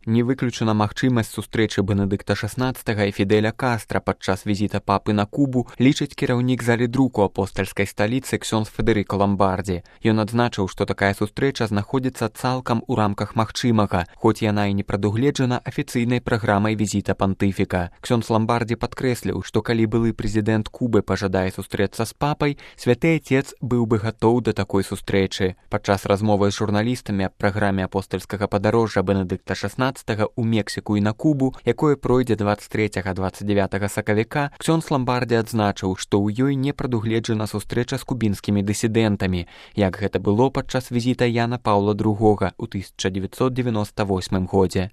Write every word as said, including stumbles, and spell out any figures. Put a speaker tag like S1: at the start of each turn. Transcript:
S1: Не выключана магчымасць сустрэчы Бенедыкта шаснаццатага і Фідэля Кастра падчас візіта папы на Кубу, лічыць кіраўнік залі друку апостальскай сталіцы ксёндз Федэрыка Ламбардзі. Ён адзначыў, што такая сустрэча знаходзіцца цалкам у рамках магчымага, хоць яна і не прадугледжана афіцыйнай праграмай візіта пантыфіка. Ксёндз Ламбардзі падкрэсліў, што калі былы прэзідэнт Кубы пажадае сустрэцца з папай, святы Отец быў бы гатоў да такой сустрэчы. Падчас размовы з журналістамі аб праграме апостальскага падарожжа Бенедыкта шаснаццатага ў Мексіку і на Кубу, якое пройдзе дваццаць трэцяга - дваццаць дзявятага сакавіка, ксёндз Ламбардзі адзначыў, што ў ёй не прадугледжана сустрэча з кубінскімі дысідэнтамі, як гэта было падчас візіта Яна Паўла другога ў тысяча дзевяцьсот дзевяноста восьмым годзе.